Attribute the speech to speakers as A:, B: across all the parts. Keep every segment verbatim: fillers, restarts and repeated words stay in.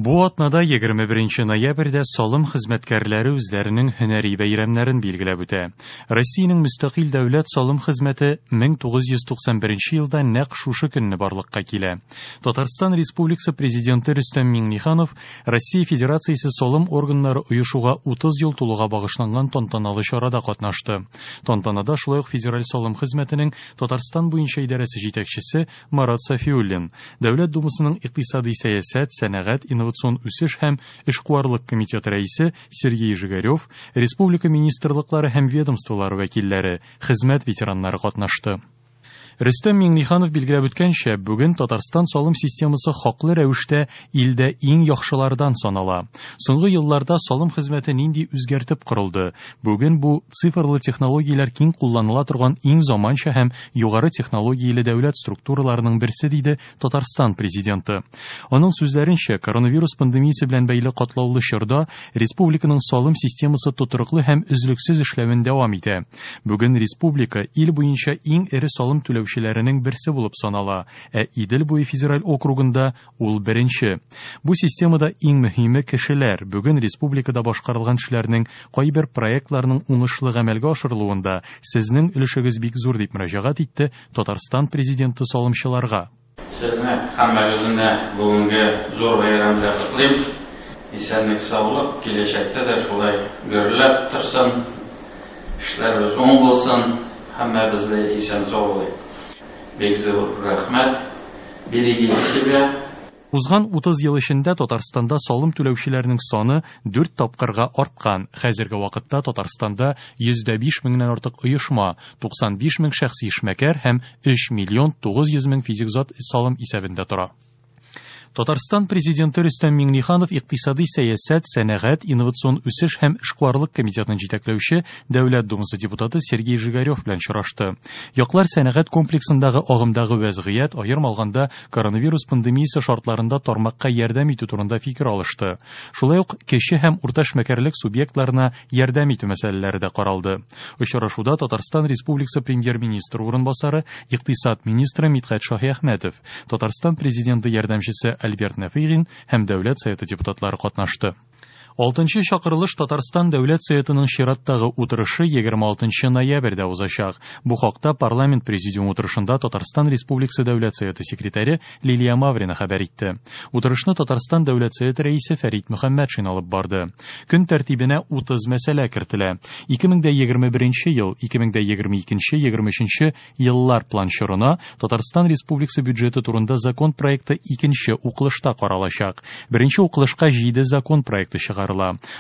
A: Бу атнада егерме беренче ноябрьдә салым хезмәткәрләре үзләренең һөнәри бәйрәмнәрен билгеләп үтә. Россиянең мөстәкыйль дәүләт салым хезмәте мең тугыз йөз туксан беренче елда нәкъ шушы көнне барлыкка килә. Татарстан Республикасы президенты Рөстәм Миңнеханов Россия Федерациясе салым органнары оешуга утыз ел тулуга багышланган тантаналы чарада катнашты. Тантанада шулай ук Федераль салым хезмәтенең Татарстан буенча идарәсе җитәкчесе Марат Сафиуллин, Дәүләт Думасының икътисади сәясәт, сәнәгать, инновацион үсеш һәм эшкуарлык комитеты рәисе Сергей Жигарев, республика министрлыклары һәм ведомстволары вәкилләре, хезмәт ветераннары катнашты. Рөстәм Миңнеханов билгеләп үткәнчә, бүген Татарстан салым системасы хаклы рәвештә илдә иң яхшылардан санала. Соңгы елларда салым хезмәте нинди үзгәртеп корылды? Бүген бу цифрлы технологияләр киң кулланыла торган иң заманча һәм югары технологияле дәүләт структураларының берсе, диде Татарстан президенты. Аның сүзләренчә, коронавирус пандемиясе белән бәйле катлаулы чорда республиканың салым системасы тотрыклы һәм өзлексез эшләвен дәвам итә. Бүген республика ил буенча иң эре салым түләүчеләренең берсе булып санала, ә Идел буе федераль округында ул беренче. Бу системада иң мөһиме кешеләр. Бүген республикада башкарылган эшләрнең кайбер проектларының уңышлы гамәлгә ашырылуында сезнең өлешегез бик зур, дип мөрәҗәгать итте Татарстан президенты салымчыларга.
B: Сезне һәммәгезне бүгенге зур бәйрәм белән котлыйм. Исәнлек, саулык, киләчәктә дә шулай гөрләп торсын, эшләребез уң булсын, һәммәбез дә исән сау булыйк. Бик зур рәхмәт. Берегите себя.
A: Узган утыз ел эчендә Татарстанда салым түләүчеләрнең саны дүрт тапкырга арткан. Хәзерге вакытта Татарстанда йөз дә биш меңнән артык оешма, туксан биш мең шәхси эшмәкәр һәм өч миллион тугыз йөз мең физик зат салым исәбендә тора. Татарстан президенты Рөстәм Миңнеханов икътисади сәясәт, сәнәгать, инновацион үсеш һәм эшкуарлык комитетын җитәкләүче Дәүләт Думасы депутаты Сергей Жигарев белән очрашты. Яклар сәнәгать комплексындагы агымдагы вәзгыять, аерым алганда коронавирус пандемиясе шартларында тармакка ярдәм итү турында фикер алышты. Шулай ук кече һәм урта эшмәкәрлек субъектларына ярдәм итү мәсьәләләре дә каралды. Очрашуда Татарстан Республикасы премьер-министры урынбасары, икътисад министры Мидхәт Шаһиәхмәтов, Татарстан президенты ярдәмчесе Альберт Нәфыйгин һәм Дәүләт Советы депутатлары катнашты. Алтынчы чакырылыш Татарстан Дәүләт Советының чираттагы утырышы егерме алтынчы ноябрьдә узачак. Бу хакта парламент президиум утырышында Татарстан Республикасы Дәүләт Советы секретаре Лилия Маврина хәбәр итте. Утырышны Татарстан Дәүләт Советы рәисе Фәрит Мөхәммәтшин алып барды. Көн тәртибенә утыз мәсьәлә кертелә. Ике мең дә егерме беренче ел, ике мең дә егерме икенче, егерме өченче еллар план чорына Татарстан Республикасы бюджеты турында закон проекты икенче укылышта каралачак. Беренче укылышка җиде закон проекты чыгарыла.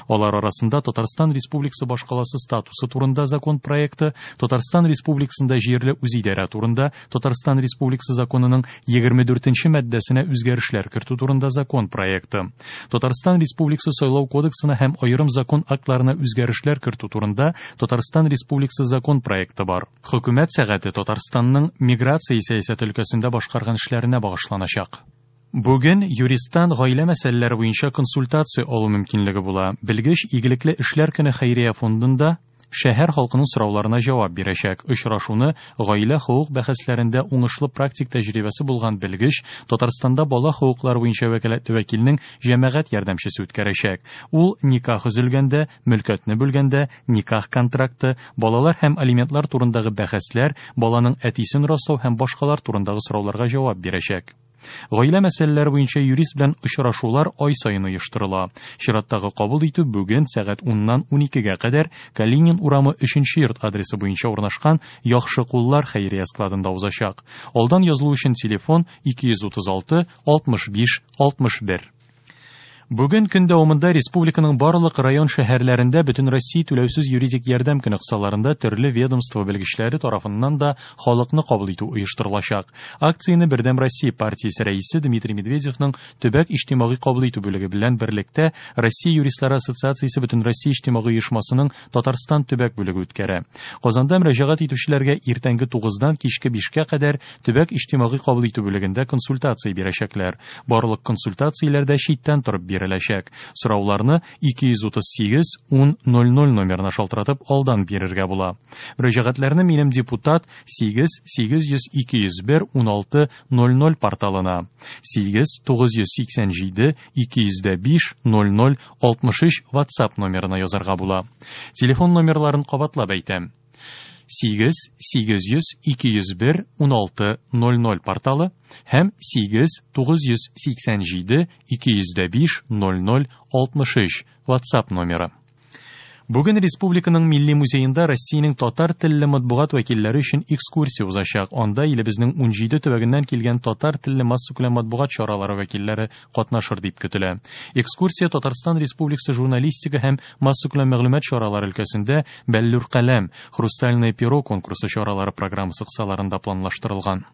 A: Алар арасында Татарстан Республикасы башкаласы статусы турында закон проекты, Татарстан Республикасында җирле үзидарә турында Татарстан Республикасы законының егерме дүртенче маддәсенә үзгәрешләр кертү турында закон проекты, Татарстан Республикасы сайлау кодексына һәм аерым закон актларына үзгәрешләр кертү турында Татарстан Республикасы закон проекты бар. Хөкүмәт сәгате Татарстанның миграция сәясәте өлкәсендә башкарган эшләренә багышланачак. Бүген юристтан гаилә мәсьәләләре буенча консультация алу мөмкинлеге була. Белгеч Игелекле эшләр көне хәйрия фондында шәһәр халкының сорауларына җавап бирәчәк. Очрашуны гаилә хокук бәхәсләрендә уңышлы практик тәҗрибәсе булган белгеч Татарстанда бала хокуклары буенча вәкаләтле вәкилнең җәмәгать ярдәмчесе үткәрәчәк. Ул никах өзелгәндә, мөлкәтне бүлгәндә, никах контракты, балалар һәм алиментлар турындагы бәхәсләр, баланың әтисен раслау һәм башкалар турындагы сорауларга җавап бирәчәк. Гаилә мәсьәләләре буенча юрист белән очрашулар ай саен оештырыла. Чираттагы кабул итү бүген сәгать уннан уникегә кадәр Калинин урамы өченче йорт адресы буенча урнашкан Яхшы куллар хәйрия складында узачак. Алдан язылу өчен телефон ике йөз утыз алты алтмыш биш алтмыш бер. Бүген көн дәвамында республиканың барлык район шәһәрләрендә Бөтен Россия түләүсез юридик ярдәм көне кысаларында төрле ведомство белгечләре тарафыннан да халыкны кабул итү оештырылачак. Акцияне Бердәм Россия партиясе рәисе Дмитрий Медведевның төбәк иҗтимагый кабул итү бүлеге белән берлектә Россия юристлары ассоциациясе Бөтен Россия иҗтимагый оешмасының Татарстан төбәк бүлеге үткәрә. Казанда мөрәҗәгать итүчеләргә иртәнге тугыздан кичке бишкә кадәр төбәк иҗтимагый кабул итү бүлегендә консультация бирәчәкләр. Барлык консультацияләр дә читтән торып бирелә. биреләчәк. Сорауларны ике йөз утыз сигез ун ноль ноль номерына шалтыратып алдан бирергә була. Мөрәҗәгатьләрне минем депутат сигез сигез йөз ике йөз бер ун алты ноль ноль порталына сигез тугыз йөз сиксән җиде ике йөз дә биш ноль ноль алтмыш өч WhatsApp номерына язарга була. Телефон номерларын кабатлап әйтәм. Сигез сигез йөз ике йөз бер ун алты ноль ноль порталы һәм сигез тугыз йөз сиксән җиде ике йөз дә биш ноль ноль алтмыш өч WhatsApp номеры. Бүген Республиканың Милли музеенда Россиянең татар телле матбугат вәкилләре өчен экскурсия узачак. Анда илебезнең ун җиде төбәгеннән килгән татар телле массакүләм матбугат чаралары вәкилләре катнашыр дип көтелә. Экскурсия Татарстан Республикасы журналистика һәм массакүләм мәгълүмат чаралары өлкәсендә Бәллүр каләм, Хрустальное перо конкурсы чаралары программасы кысаларында планлаштырылган.